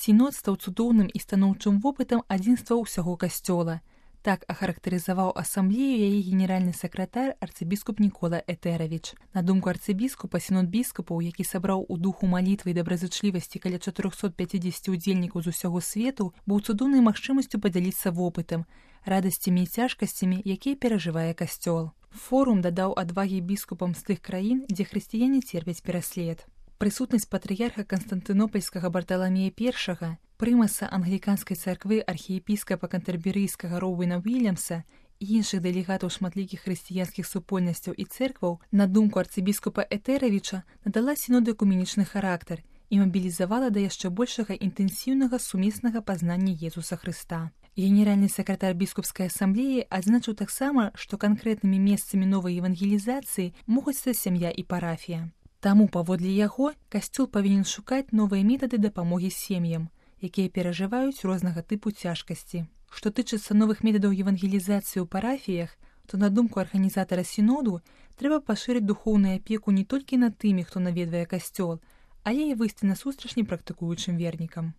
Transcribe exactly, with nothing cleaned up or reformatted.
Сінод стаў цудоўным і станоўчым вопытам адзінства ўсяго касцёла. Так ахарактарызаваў асамблею яе генеральны сакратар арцыбіскуп Нікола Этэравіч. На думку арцыбіскупа, сінод біскупаў, які сабраў у духу малітвы і добразычлівасці каля чатырохсот пяцідзесяці удзельнікаў з усяго свету, быў цудоўнай магчымасцю падзяліцца вопытам, радасцямі і цяжкасцямі, якія перажывае касцёл. Форум дадаў адвагі біскупам з тых краін, дзе хрысціяне церпяць пераслед. Прысутнасць патрыярха Канстантынопольскага Барталамея першага, прымаса англіканскай царквы архіепіскапа кантэрберыйскага Роуэна Уільямса і іншых дэлегатаў шматлікіх хрысціянскіх супольнасцяў і цэркваў, на думку арцыбіскупа Этэравіча, надала сіноду экуменічны характар і мабілізавала да яшчэ большага інтэнсіўнага сумеснага пазнання Езуса Хрыста. Генеральны сакратар біскупскай асамблеі адзначыў таксама, што канкрэтнымі месцамі новай евангелізацыі могуць стаць сям'я і парафія. Таму, паводле яго, касцёл павінен шукаць новыя метады дапамогі сем'ям, якія перажываюць рознага тыпу цяжкасці. Што тычыцца новых метадаў евангелізацыі ў парафіях, то, на думку арганізатара сіноду, трэба пашырыць духоўную апеку не толькі над тымі, хто наведвае касцёл, але і выйсці насустрач непрактыкуючым вернікам.